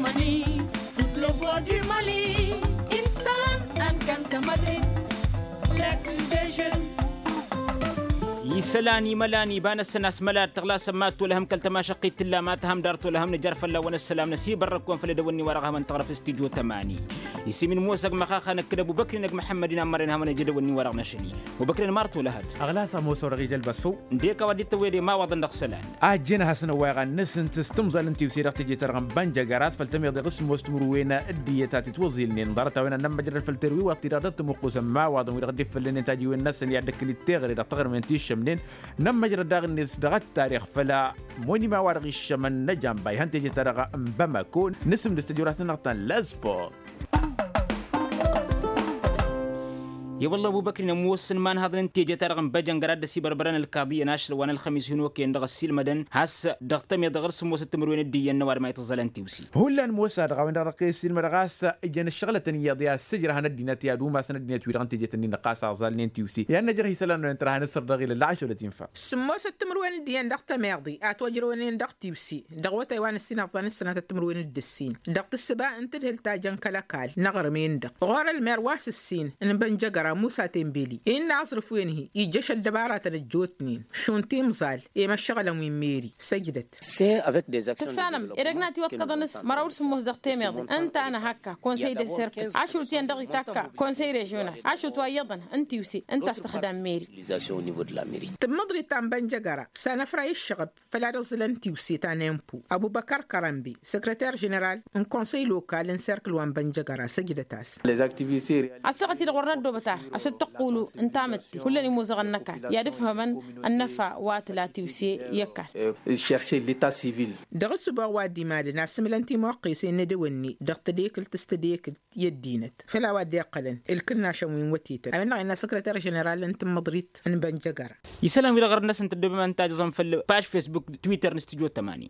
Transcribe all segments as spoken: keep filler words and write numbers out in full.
Mali, toute le voix du Mali. Isălan ănkăntămădre. Lecture des jeunes. Isălan imălan iba-năsăn a-s mălad tăɣlasăn mad-tolăhăm kăl-tămašăqqit tǝlla ma tăhăm dar tolăhăm nǝjar fălla-wăn ăssălam năsibărrăk-wăn făll-edăwănni-wa-dăɣ a hawăn-tăɣrăf s-tijo tămani. Isǝm-in mosa ăgg măxaxa năkkădăb ubăkrin ăgg-măḥămmăd-in ammărăn hawăn-ăj edăwănni-wa-dăɣ năšăl-i. Obăkren marto lăhăd. Ăɣlas ămoos a-wa dăɣ-ija ălbas făw. Ǝndek a-wa dd-tăwwed i-imawaḍăn dăɣ-isălan. A ăjjeen ad-hasăn-ăwwayăɣ ad-nǝsǝnt s-timẓal n-tiwse dăɣ-teje-ta-dăɣ n-bănjăgăras făll-tămiḍe ɣǝs ămoos timǝrwen d-iyyăt a titwăẓilnen ḍarăt-a-wen ad-nămmăjrăd făll-terwiwăɣ-ti-dăɣ dd-tămuqqusăn imawaḍăn wi-dăɣ dd-ifăllănen tajǝwen-năsăn i-ad-dd-ăkkǝl-dd teɣăre dăɣ-taɣrǝmen ti ǝššămnen. Nămmăjrăd daɣ-net dăɣ-ăttarix făll-monima wa dăɣ-iššămăn n-ajamba ihăn teje-ta-dăɣ n-bamako. Nǝsǝmdǝs tăjorasăn-năɣ ta n-lăsport. I-wălla ăbubăkrin ămoosăn imanhaḍăn n-teje-ta-dăɣ n-băjăngăr ad-dd-ăsibărbărăn ălkaḍiyyăn ašăl wa n-ălxămis hin-okăyăn dăɣ-ăssiilmădăn has-dăɣ tămiḍe ɣur-s ămoosăt timǝrwen d-iyyăn n-ăwadǝm a itǝẓẓălăn tiwse. Hullan mosa-dăɣ a-wen-dăɣ dăɣ-kăy-ăssiilmădăɣ a-s ǝjăn ǝššăɣlătăn iyyăḍ i-ad-sǝjrăhăn ăddinăt i-ad-umasăn ăddinăt-wi-dăɣ n-tejet-ǝnnin-dăɣ ɣas a ăẓalnen tiwse i-ad-nǝjrăh isălan-wen tărha n-asăr dăɣ-ilăl lăɣašăwlăt infa. Sǝmmosăt timǝrwen d-iyyăn dăɣ-tămiḍe a tojrăwnen dăɣ-tiwse dăɣ-awătay wa n-ǝssin ăfḍăn s-sănatăt timǝrwen d-ǝssin dăɣ-tǝssǝba n-tadhǝlt ta jăn kăl-ăkall n-aɣrǝm-en-dăɣ ɣur-ălmer wa s-ǝssin n-bănjăgăra musa tembeli innă aẓrǝf-wen-hi ijjăš ăddăbaratăn ăjjootnen šund timẓal i-imăššăɣǝlăn wi n-meri săjdăt. Tǝssanăm edăgg n-atiwăḍkăḍăn s-măraw d-sǝmmos dăɣ-temeḍe ǝnta a năhakka konsăy de serkăl ašrut iyyăn dăɣ-itakka konsăy režional ašrut wa iyyăḍăn n-tiwse ǝnta a-s tăxdam meri. Tǝmmǝḍrit ta n-bănjăgăra s-anăfray ǝššăɣăb făll-ad-ăẓẓǝlăn tiwse ta n-empo ăbubăkar kărănbe săkrăter ženeral n-konsăy lokal n-serkǝl wa n-bănjăgăra săjdăt-as. Ăssaɣăt-i-dăɣ wăr năddoobăt ar a-s dd-tăqqulu n-tamǝtte hullan imuzăɣăn n-ăkall i-ad-ǝfhămăn ănnăfa wa tǝla tiwse i-ăkall. Dăɣ-ǝssǝboɣ wa dd-imalăn asǝmǝlăn timuqqesen n-edăwănne dăɣ-tadekǝlt s-tadekǝlt i-ăddinăt făll-a-wa dd-iqqălăn ǝlkǝnnašăn wi n-wătetăn a-wen-dăɣ innă săkrăter ženeral n-tǝmmǝḍrit n-bănjăgăra. Isălan-wi-dăɣ ɣur-năsăn tăddobem ad-nǝtajǝẓăm făll-paž fesbuk twitter n-stujo tămani.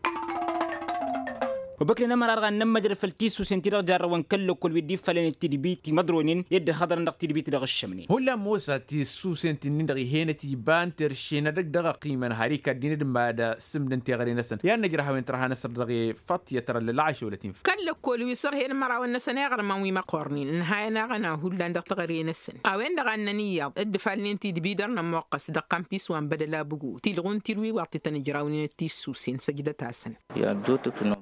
Obăknen ămăra-dăɣ ad-nămmăjrăd făll-tissusen ti-dăɣ jarrăwăn kăl-lăkkol wi dd-iffalăn i-tidbi timăḍronen i-dd-ăhhăḍărăn dăɣ-tidbit dăɣ-ǝššămnen. Hullan mosa tissusen ti-nin-dăɣ ih'-enăt iba n-terše n-edăgg dăɣ-ăqqimăn har ikaddin d-mad-sǝmdăn teɣăre-năsăn i-ad-năjrăh a-wen tărha n-asăr dăɣ-e făṭṭyăt tărăllăl ašăwlăt-in. Kăl-lăkkol wi s-ărhen mărawăn-năsăn iɣrǝmăn wi măqqornen ǝnhayăn aɣăna hullan dăɣ-teɣăre-năsăn a-wen-dăɣ ad-nănǝyyaḍ dd-ǝfalnen tidbi dăr-nămmuqqăs dăɣ-kampis wa n-bădăl abugu tilɣu n-tirwiwaḍt i-tăn-ǝjrawnen d-tissusen săjdăt-asăn.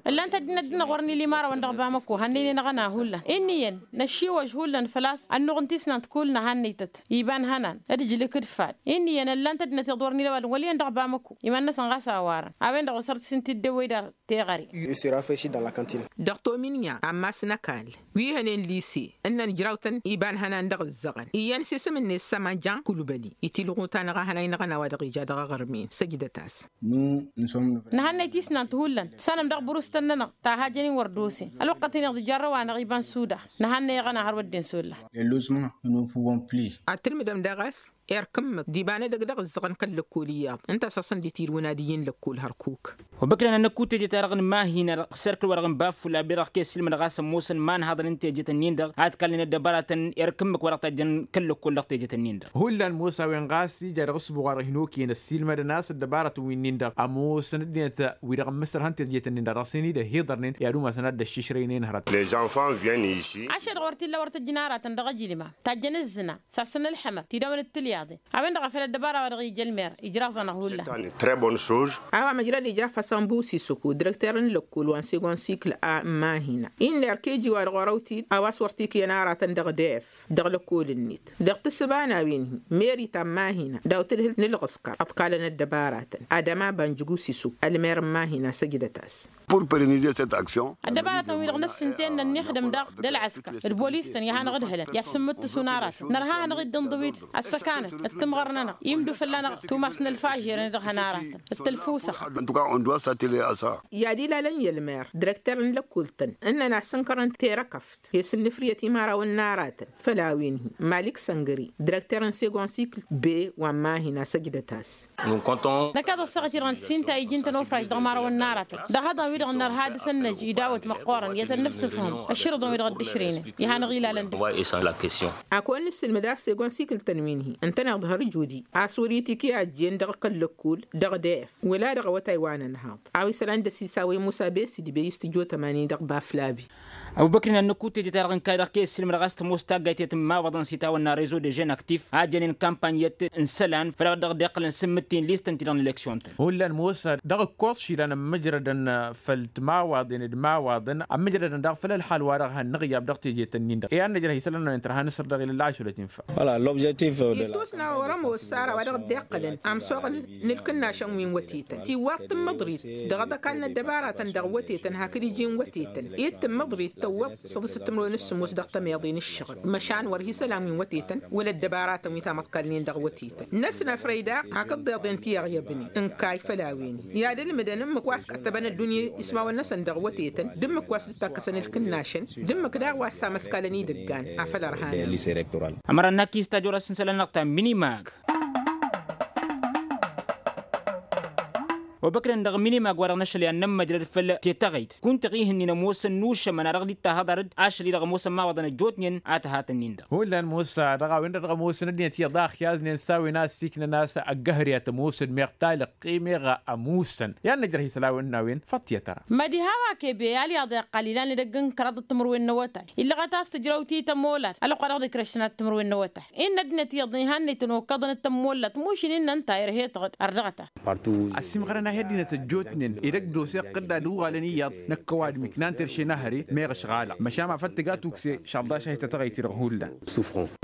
Ǝllan-t ăddinăt-dăɣ-năɣ wăr nǝla imărawăn dăɣ-bamăko hannăynen aɣăna hullan inn'-iyyăn năššiwăž hullan făl-a-s ănnuɣ n-tisnant kull nǝhannăytăt iba n-ihănan d-ǝjlǝk d-fad inn'-iyyăn ǝllan-t ăddinăt iyyăḍ wăr nǝla ăwadǝm wăl' iyyăn dăɣ-bamăko iman-năsăn ɣas a warăn a-wen-dăɣ osăr-t s-in-t-dd-ewwăy dar teɣăre. Dăɣ-tominya ammas n-ăkall wi hănen lise ǝnnăn ǝjraw-tăn iba n-ihănan dăɣ-ǝzzăɣăn iyyăn s-isǝm-net sămăja kulbăli itilɣu-ta-năɣ a hănay n-aɣăna wa dăɣ-ija dăɣ-aɣrǝm-en săjdăt-as. Nǝhannăy tisnant hullan tǝssanăm dăɣ-burǝstăn-nănăɣ ta hajăn-in wăr d-osen ălwăqqăt-in-dăɣ d-ijarrăw-anăɣ iba n-suda. Nǝhannăy aɣăna hărwa dd-insulla. Ad-tǝlmǝdăm daɣ a-s erk ǝmmǝk d-iba n-edăgg dăɣ-ǝzzăɣăn kăl-lăkkol iyyăḍ ǝnta a-s hasăn-dd-itirǝwăn ad-iyyǝn lăkkol hărkuk. Wa băkdăn ad-năkku teje-ta-dăɣ n-mahina dăɣ-serkǝl wa dăɣ-n baffula be dăɣ-kăy-ăssiilmădăɣ a-s ămoosăn imanhaḍăn n-tejet-ǝnnin-dăɣ ad-kallăn ăddăbaratăn erk ǝmmǝk wa dăɣ-tajjăn kăl-lăkkol dăɣ-tejet-ǝnnin-dăɣ. Hullan mosa a-wen ɣas ija dăɣ-ǝssǝbuɣ wa dăɣ-hin-okăyăn ăssiilmădăn a-s ăddăbaratăn wi-nin-dăɣ ămoosăn ăddinăt wi-dăɣ ǝmmǝsrăhăn tejet-ǝnnin-dăɣ dăɣ-sen-dd-ăhiḍărnen i-ad-umasăn ad-dd-ăššišrăynen hărăt. Les enfants viennent ici. Ašăl-dăɣ wăr t-illa wăr tăjjăn aratăn dăɣ-ejlǝma tajjăn ǝzzǝna sassăn ǝlḥămăt tidawăn d-tilyaḍen. A-wen-dăɣ a făl ăddăbara wa dăɣ-ija ălmer ijraẓ-anăɣ hullan. Très bonne chose. A-wa măjrăd ija fasan busisuku direkter n-lăkkol wa n-segon sikl a n-mahina innă erk eji wa dăɣ-orăw-t-dd a-wa s-wăr t-ikǝyăn aratăn dăɣ-def dăɣ-lăkkol-net dăɣ-tǝssǝba n-a-wen-hi meri ta n-mahina daw-tǝdhǝlt n-ǝlɣǝskăr ăḍkalăn ăddăbaratăn. Ad-ămaban jigusisu ălmer n-mahina săjdăt-as. Ăddăbaratăn-wi-dăɣ n-ǝssǝnten n-ănnixdăm daɣ d-ălɣǝskăr d-bolis-tăn i-ad-hanăɣ-ǝdhǝlăn i-ad-sǝmmǝttǝsun aratăn nărha ad-hanăɣ-dd-ǝnḍǝw-dd ăssăkanăt d-timɣăr-nănăɣ imdǝw fălla-năɣ tumas n-ălfažer-net dăɣ-hăn aratăn d-tălfusăɣ. I-ad-ilalăn i-ălmer direkter n-lăkkultăn ǝnnăn a-s ǝnkărăn terăkăft he-s ǝnnǝfrǝyăt imărawăn n-aratăn făll-a-wen-hi malik săngări direkter n-segon sikl be wa n-mahina săjdăt-as. Năkk-ad-ăṣṣăɣăt-i-dăɣ n-sinta iji n-tănofrajt dăɣ-imărawăn n-aratăn dăɣ-ihăḍăn-wi-dăɣ. Nărha dăr-săn năj idawăt măqqoorăn i-ad-tăn-nǝfsǝfhǝm ăššărǝḍăn wi-dăɣ dd-ǝšrăynăn. Ihăn ăɣilalăn dăr-s. A-kăwăn-nǝssǝlmǝd a-s egon sikǝl-tăn wi-nǝhi ǝntăneḍ hărǝj odi a-s wăr-itǝkǝy a ăjjeen dăɣ-kăl-lăkkul dăɣ-def wăla dăɣ-awătay wa n-ănhaḍ. A-wa isălan d-ăsisawăy musa besidi bey s-tǝjot ămani dăɣ-baflabi. Ăbubăkri n-ad-nǝkku teje-ta-dăɣ ǝnkay dăɣ-kăy-ǝssǝlmădăɣ a-s tămoos taggayt i-tǝmmawaḍăn s-itawănna rezo dežen aktif a jănen kampany i-ad-t-ǝnsălan făll-a-wa dăɣ-dd-iqqǝlăn sǝmmǝttin listăn-ti-dăɣ n-eleksyon-tăn. Hullan mosa dăɣ-ǝkkoẓ išilan ămmǝjrădăn făll-timawaḍen d-imawaḍăn ămmǝjrădăn daɣ făll-ălxal-wa-dăɣ hannăɣ iyyab dăɣ-teje-tăn-in-dăɣ i-ad-năjrăh isălan-năwen tărha n-asăr dăɣ-ila ašăl ad-t-infa. Wăla lobžetiv. Ittusna wăr-ămoos ara wa dăɣ-dd-iqqălăn amsoɣăl n-ǝlkǝnnašăn wi n-wătetăn tiwwaḍ tǝmmǝḍrit dăɣ-ad-ăkall n-ăddăbaratăn dăɣ-wătetăn hakd iji n-wătetăn i-tǝmmǝḍrit tăwwăḍ săḍǝsăt timǝrwen s-sǝmmos dăɣ-tămeḍe n-ǝššăɣǝl măšan wăr hi-isălan wi n-wătetăn wăla ăddăbaratăn wi tamăḍkal-nin dăɣ-wătetăn. Năsnăfrăy daɣ hakd ḍeḍen ti-iyyăbnen ǝnkay făll-a-wen i-ad-ǝlmǝdăn ǝmmǝk wa s-kăttăbăn ăddunya ismawăn-năsăn dăɣ-wătetăn d-ǝmmǝk wa s-dd-takkăsăn ǝlkǝnnašăn d-ǝmmǝk daɣ wa s-amăskalăn idăggan. Afăl ărhanăn. Ămăra n-akis tajorăt s-n-isălan-năɣ ta minimag. Obăknen dăɣ-minimag wa dăɣ-năšăl i-ad-nămmăjrăd făll-tetăɣăyt kunta ɣihǝnnin ămoosăn n-ušămăn a dăɣ-dd-tahăḍar-dd ašăl-i-dăɣ ămoosăn imawaḍăn ăjjootnen a tăhatăn-in-dăɣ. Hullan mosa dăɣ-a-wen-dăɣ dăɣ-ămoosăn ăddinăt iyyăḍ a ăxyaẓnen s-a-wen a ăssiiknăn a-s ăggăhăr i-ad-t-ămoosăn meɣ talăqqi meɣ ămuusăn i-ad-năjrăh isălan n-a-wen. Făṭṭiyăt ara. Mădi hawa kebe alyaḍ iqqal ilan edăgg n-kăraḍăt timǝrwen n-awătay illăɣăt a-s tǝjrăw ti tămmolat ălwăqq wa dăɣ-dd-ikrăššăn ad-timǝrwen n-awătay. Innă ăddinăt iyyăḍ ihannăy-tăn okăḍăn d-tămmollat mušǝn-in n-ănta irhe-tăɣ-dd ărdăɣăt-as. Ăsimɣărăn-ahi ăddinăt ăjjootnen edăgg d-oseɣ tădd-ad-uɣalăn iyyăḍ năkkăwadǝm iknan terše n-ahăre meɣ ăšɣalăɣ măšan ma făl tǝga tukse šălḍaš-ahi tătăɣăyt-i-dăɣ hullan.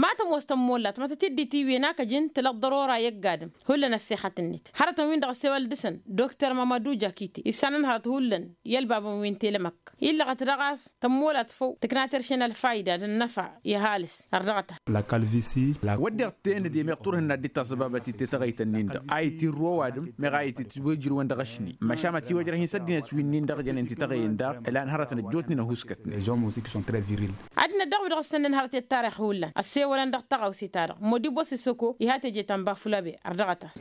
Ma tămoos tămmollat ma tăt-dd-itiwǝyăn a kăjǝn tǝlăt ḍărora i-ăgg-adǝm. Hullan ăssexăt-net hărătăn-win-dăɣ ăssewăl dăɣ-săn dokter mămădu jakite issanăn hărăt hullan i-ălbabăn wi n-telămăk illăɣăt daɣ a-s tămmolat făw tǝkna terše n-ălfayda d-ănnăfa i-ăhalǝs. Ărdăɣăt-as. Wădden tennăde meɣ turhǝnna dd-tasăbabăt-i tetăɣăyt-ǝnnin-dăɣ a itirru ăwadǝm meɣ a ititwǝjrǝwăn dăɣ-ašni măšan ma tiwăjrăh-in s-ăddinăt wi-nin-dăɣ jănen tetăɣăyăn daɣ ǝlan hărătăn ăjjootnen ăhuuskătnen. Ăddinăt daɣ wi-dăɣ ǝssănnăn hărăt i-ăttarix hullan ăssewălăn dăɣ-taɣawse-ta-dăɣ modibos isoko iha teje ta n-bafulabe. Ărdăɣăt-as.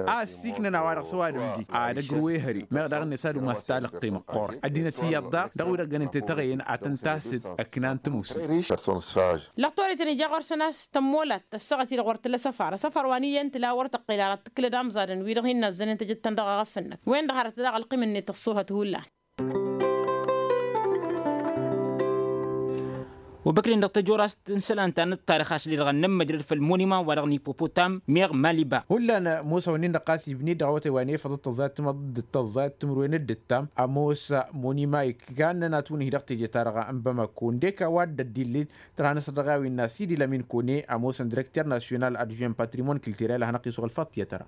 A ăssiiknăn a-wa-dăɣ s-ăwadǝm-di ad-ăgrǝw ehăre meɣ daɣ-net ad-umas talăqqe măqqoorăt ăddinăt iyyăḍ daɣ dăɣ-wi-dăɣ jănen tetăɣăyăn ad-tăn-tasǝd ăknan tǝmusǝn. Lăqtor-ităn ija ɣur-săn a-s tămmolat tăssăɣăt-i-dăɣ wăr tǝla săfar ăsăfar wa n-iyyăn tǝla wăr tăqqel ara tǝklăd amẓadăn wi-dăɣ hin-nazzănen tejăt-tăn dăɣ-eɣăf-năk wen-dăɣ hărăt daɣ ălqim-net ăṣṣuhăt hullan. Obăknen dăɣ-tăjorast n-isălan ta n-ăṭṭarix ašăl-i-dăɣ ad-nămmăjrăd făll-monuman wa dăɣ-n ippopotam meɣ maliba. Hullan ămoos a-wen-in-dăɣ ɣas ibni dăɣ-awătay wa n-efăḍăt tăẓẓayăt timǝḍ d-tăẓẓayăt timǝrwen d-ǝttam ămoos monuman ikannăn atwǝnǝhi dăɣ-teje-ta-dăɣ n-bamako ǝndek a-wa dd-ăddillǝy tărha n-asăr dăɣ-a-wen n-asidi lamin kone ămoosăn direkter nasyonal adjuwen patrimon kiltirel a hanăɣ-t-isuɣǝl făṭṭiyăt ara.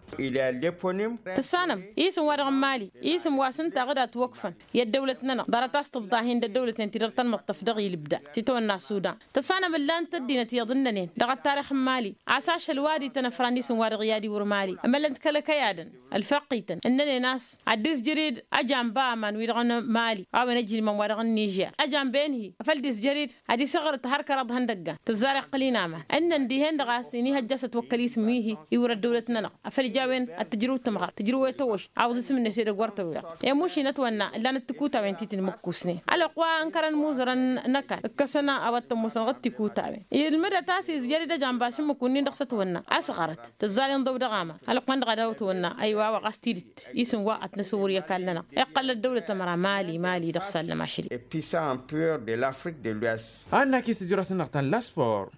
Tăssanăm isǝm wa dăɣ-n mali isǝm wa s-ǝnta aɣǝd a ătwăkfăn i-ăddăwlăt-nănăɣ ḍarăt a-s tǝḍḍahen d-ăddăwlăten-ti-dăɣ tăn-măṭṭăf dăɣ-ilbda s-itawănna sudan. Tăssanăm ǝllan-t ăddinăt iyyăḍ ǝnnănen dăɣ-ăttarix n-mali a-s ašăl wa dd-ităn ăfran isǝm wa dăɣ-i ad-iwǝr mali ămăllăn-t kăl-ăkăyadăn ălfăqqităn ǝnnănen a-s ad-dd-izjăr-dd ajamba aman wi-dăɣ n-mali a-wen ăjilmăm wa dăɣ-n nižer ajamba-en-hi afăl dd-izjăr-dd ad-isăɣrǝt har kăraḍ ihăndăggan tǝzzar iqqǝl-in aman ǝnnăn dihen-dăɣ a-s inihăjja a-s ătwăkkăl isǝm wi-hi iwǝr ăddăwlăt-nănăɣ afăl ija a-wen ad-tǝjrǝw tǝmɣărt tǝjrǝw i-tawăš awǝḍ isǝm-net edăgg wăr tăwweḍ i-mušin ătwănna ǝllan-dd tikutawen ti tǝnmǝkkusnen ălwăqq wa ǝnkărăn imuzărăn n-ăkall ǝkkăsăn a-wa t-ămoosăn ɣǝd-tikutawen ilmǝdăt a-s izjăr-dd ăjamba ašǝmmǝk-wǝnnin-dăɣ s-ătwănna a-s ɣărăt tǝzzal inḍăw dăɣ-aman ălwăqq-en-dăɣ a daw-ătwănna ăywa a-wa ɣas tidǝt isǝm wa ătnăsǝwwǝr i-ăkall-nănăɣ iqqăl ăddăwlăt ămăra mali mali dăɣ-sallăm ašăl-i. Puissant empereur de l'afrique de l'ouest. Annak-i s-tijrăs-năɣ ta n-laspor.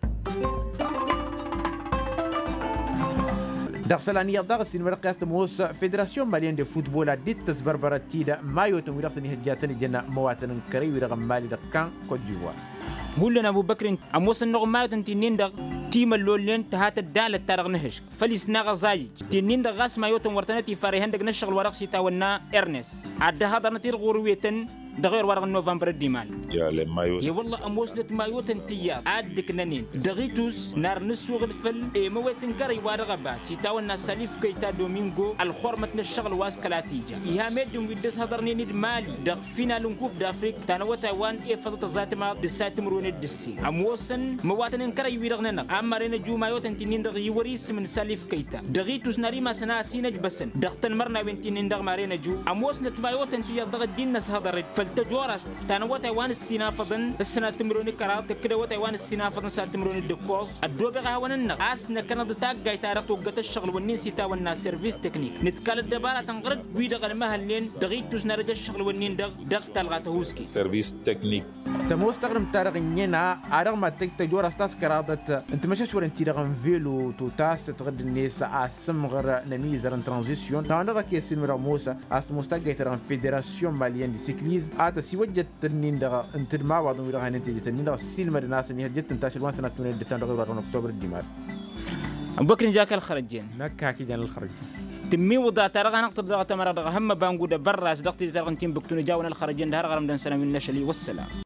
Dăɣ-isălan iyyăḍ daɣ ăssiinmădăɣ-t i-a-s tămoos federasyon malyen de futbol ad-dd-tăsbărbărăt-dd măyotăn wi dăɣ-săn ihăjjatăn ijăn măwatăn n-kărăy wi-dăɣ n-mali dăɣ-kan kot divoir. Hullan ăbubăkrin ămoosăn-năɣ măyotăn ti-nin-dăɣ timăllolnen tǝha tăddalăt-ta-dăɣ n-ehǝšk făll-isnaɣ ăẓayǝj ti-nin-dăɣ ɣas măyotăn wăr tănăt-ifar ihăndăg n-ăššăɣǝl wa dăɣ-s itawănna ernes ad-dd-ăhaḍărnăt-dd ɣur-wetăn dăɣ-ewăr wa dăɣ-n novămbăr d-imal. I-wălla ămoosnăt mayotăn tiyyăḍ a dd-ǝknănen dăɣ-itus n-ar nǝssuɣǝl făll-emăwet n-kărăy wa dăɣ-ăbas itawănna salif kăyta domingo ălxormăt n-ăššăɣǝl wa s-kăla t-ija iha meddǝn wi dd-ăshăḍărnen d-mali dăɣ-final n-kub d-afrik ta n-awătay wa n-efăḍăt ăẓatămaḍ d-sat. timǝrwen d-ǝssin ămoosăn măwatăn n-kărăy-wi-dăɣ-nănăɣ a maren ăju mayotăn ti-nin-dăɣ iwăr isǝm n-salif kăyta dăɣ-itus n-ad-imasăn a ăsinăjbăsăn dăɣ-tanmărnawen ti-nin-dăɣ maren ăju ămoosnăt mayotăn tiyyăḍ dăɣ-ăddin n-ăshăḍăr-dd făll-tăjorăst ta n-awătay wa n-ǝssin afăḍăn s-sănat timǝrwen d-kăraḍ tǝkkǝd awătay wa n-ǝssin afăḍăn s-sănat timǝrwen d-ǝkkoẓ. Ăddoobeɣ a hawăn-ǝnneɣ a-s năkkănăḍ taggayt-ta-dăɣ toggăt ăššăɣǝl-wǝnnin s-itawănna servis teknik nǝtkalăt dăbaratăn ɣur-ăgg wi-dăɣ ălmăhălnen dăɣ-ittus n-ad-ăj ăššăɣǝl-wǝnnin-dăɣ dăɣ-talɣa tăhuusket. Servis teknik. Tămoos taɣrǝmt-ta-dăɣ ǝnniyăn a dăɣ-mad-tăj tăjorăst a-s kăraḍăt n-timăšăšwăren-ti-dăɣ n-velo totas tăɣǝdd-net a-s ǝmmăɣăr n-ămizăr n-tranzisyon n-a-wa-dăɣ a kăy-ăssiilmădăɣ mosa. A-s tămoos taggayt-ta-dăɣ n-federasyon maliyăn d-sikliz a tăsiwăjjăt tănnin-dăɣ n-tǝdmawaḍăn wi-dăɣ a hanăn teje tănnin-dăɣ ăssiilmădăn a-s ănihăjjăt tǝnta ašăl wa n-sănat timǝrwen d-ǝttan dăɣ-iwra dăɣ-năktobăr d-imal. Ănbăkri n-jak ălxărăjen. Năkk hak ijan ălxărăjen. Tǝmmiwǝḍa ta dăɣ-hanăɣ-tăr dăɣ-tămăra dăɣ-ehămmăba n-gudăbărras dăɣ-tizăt-ta-dăɣ n-tinbǝktu n-ejawăn ălxărăjen d-har ɣărăm dăɣ-năsăn a-wi n-năšăl i-wăssălam.